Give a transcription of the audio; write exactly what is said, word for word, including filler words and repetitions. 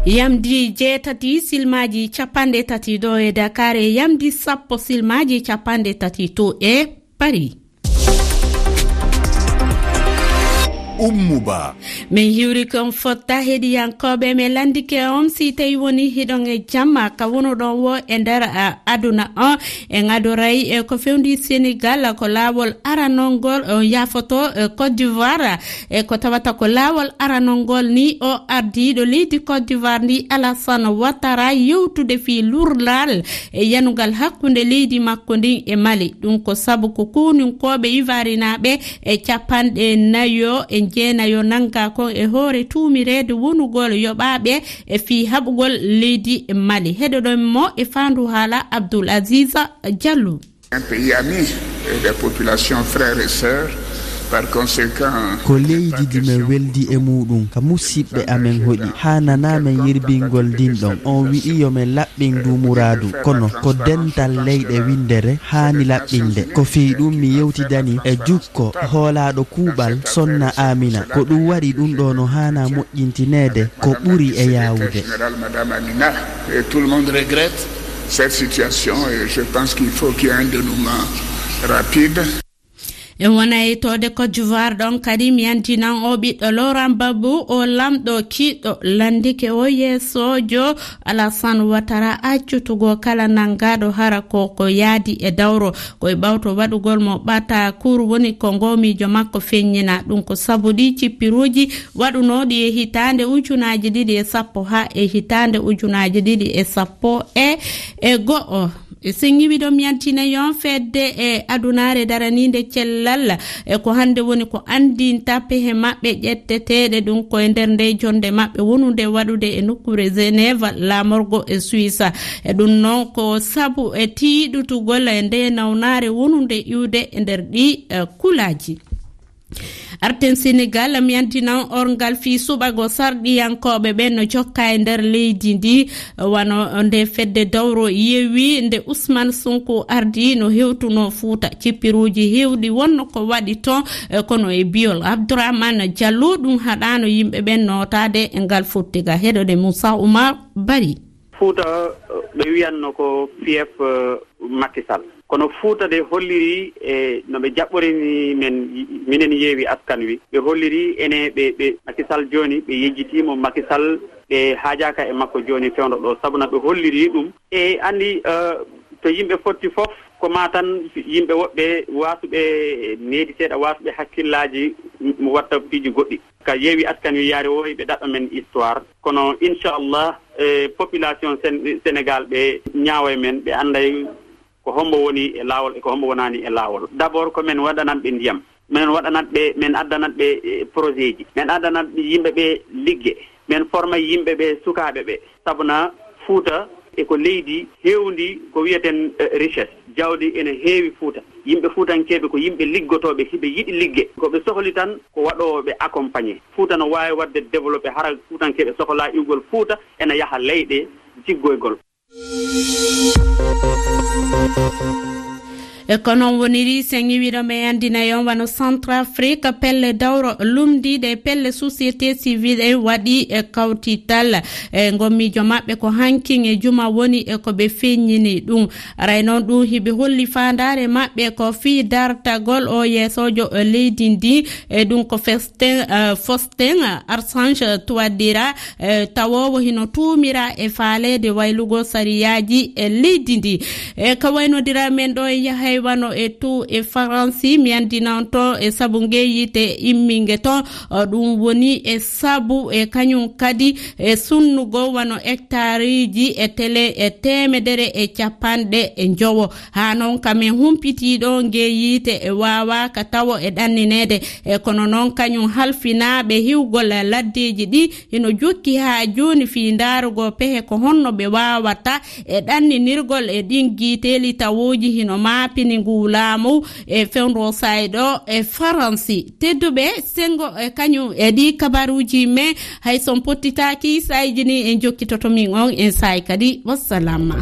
Yamdi jeetati silmaaji capanɗe tati ɗo e Dakar, e yamdi sappo silmaaji capanɗe tati to e Paris. Ummu Ba. Min hiwri kon fotta heɗiyankooɓe, min lanndike on si tawi woni hiɗon e jamma ka wonuɗon wo e nder, a, aduna on. En adoray e ko fewndi Senegal, ko laawol aranol ngol, on yaafoto, e Côte d'Ivoire, e ko tawata ko laawol aranol ngol ni o ardiiɗo leydi Côte d'Ivoire ndi Alassane Ouattara yewtude fii lurlal e yanugal hakkunde leydi makko ndin e Mali. Ɗum ko sabu ko kowninkooɓe ivarinaaɓe e capanɗe nayo e jeenayo nanngaa kon e hoore tuumireede wonugol yoɓaaɓe e fii haɓugol leydi Mali. Heɗoɗon mo e faandu haala Abdoul Aziz Diallo. Un pays ami et des populations frères et sœurs. Par conséquent, ko leydi ndi men weldi e muɗum, ka musiɓɓe amen hoɗi. Haananaa men yirbingol ndin ɗon. On wi'i yo men laɓɓin ndu muraadu. Kono ko dental leyɗe winndere haani laɓɓinde. Ko fii ɗum mi yewtidani e jukko hoolaaɗo kuuɓal Sonna Amina. Ko ɗum waɗi ɗum ɗo no haana moƴƴintineede ko ɓuri e yaawude. Général, Madame Amina, et tout le monde regrette cette situation et je pense qu'il faut qu'il y ait un dénouement rapide. En wona e toode Côte d'Ivoire ɗon kadi, mi andinan o ɓiɗɗo Laurent Gbagbo, o lamɗo kiiɗɗo lanndike o yeesoojo Alassane Ouattara accutugo kala nanngaaɗo hara ko, ko yaadi e dawro. Ko e ɓawto waɗugol mo ɓata kuur woni ko ngo miijo makko feññina. Ɗum ko sabu ɗi cippiruuji waɗunooɗi e hitaande ujunaaji ɗiɗi e sappo haa e hitaande ujunaaji ɗiɗi e sappo e, e go'o. E sen ŋiwi ɗo mi yantina yon fedde e adunaare daraniinde cellal, e ko hannde woni ko anndinta pehe maɓɓe ƴetteteeɗe ɗum ko e nder nde jonnde maɓɓe wonunde waɗude e nokkuure Genève, laamorgo e Suisse. E ɗum noon ko sabu e tiiɗutugol e nde nawnaare wonunde iwde e nder ɗi, e, kulaaji. Arten Senegal, mi andinan orngal fii suɓago sarɗiyankooɓe ɓen no jokka e nder leydi ndi, wano nde fedde dowro yewi nde Ousmane Sonko ardi no hewtuno Fuuta. Cippiruuji hewɗi wonno ko waɗi ton, e kono e biyol Abdourahmane Diallo ɗum haɗano yimɓe ɓen nootaade e ngal fottiga. Heɗode Moussa Oumar Bari. Fuuta, ɓe wiyanno ko fief, eh, Macky Sall. Kono Fuuta de holliri e no ɓe jaɓɓorini men, minen Yeewi Askan Wi. Ɓe holliri ene ɓe, ɓe Macky Sall jooni, ɓe yejjitiimo Macky Sall, ɓe haajaaka e makko jooni fewndo ɗo. Sabu na ɓe holliri ɗum. E anndi, eh, to yimɓe fotti fof, ko maa tan yimɓe woɓɓe waasuɓe needi seeɗa, waasuɓe hakkillaaji, m-, watta piiji goɗɗi. Ka Yeewi Askan Wi yaari o, ɓe ɗaɓɓa men histoire. Kono inchallah, eh, population Sen-, Sénégal ɓe ñaawa e men, ɓe annday ko hombo woni e laawol e ko hombo wonaani e laawol. D'abord ko men waɗanat ɓe ndiyam, men waɗanat ɓe, men addanat ɓe, eh, projet ji, men addanat yimɓe ɓe ligge, men forma yimɓe ɓe, sukaaɓe ɓe. Sabu na Fuuta e ko leydi hewndi ko wiyeten, eh, richesse. Jawdi ene heewi Fuuta. Yimɓe Fuutankeeɓe ko yimɓe liggotooɓe, hiɓe yiɗi ligge. Ko ɓe sohli tan ko waɗoowo ɓe accompagné. Fuuta no waawi waɗde développé, hara Fuutankeeɓe sohlaa iwgol Fuuta ena yaha leyɗe jiggoygol. E ko noon woniri, sen iwiɗo men anndinay on wano Centrafrique, pelle dawro lumndiiɗe, pelle société civile en waɗi e kawtital. E ngommiijo maɓɓe ko hankin e juma woni e ko ɓe feññini ɗum. Aray noon ɗum hiɓe holli faandaare maɓɓe ko fii dartagol o yeesoojo leydi ndi. E ɗum ko Faustin, eh, Faustin Archange Touadéra, eh, tawoowo hino tuumira e faaleede waylugo sariyaaji e leydi ndi. E ka waynodira men ɗo e yahay wano e tu e Faransi, mi andinan to e sabu ngeyite imminge ton, o ɗum woni e sabu e kañum kadi e sunnugo wano hectareji e tele e teemedere e capanɗe e njowo. Haa noon ka men humpitiiɗo ngee yiite e waawaaka tawo e ɗannineede. E kono noon kañum halfinaaɓe hiwgol laddeeji ɗi hino jokki haa jooni fii ndaarugol pehe ko honno ɓe waawata e ɗanninirgol e ɗin giiteeli tawooji hino maapini nguu laamu e fewndo sayɗo e Faransi. Tedduɓe, senngo e kañum e ɗii kabaruuji men, hay son pottitaaki, saayiji ni en jokkitoto min on en saay kadi. Wassalam.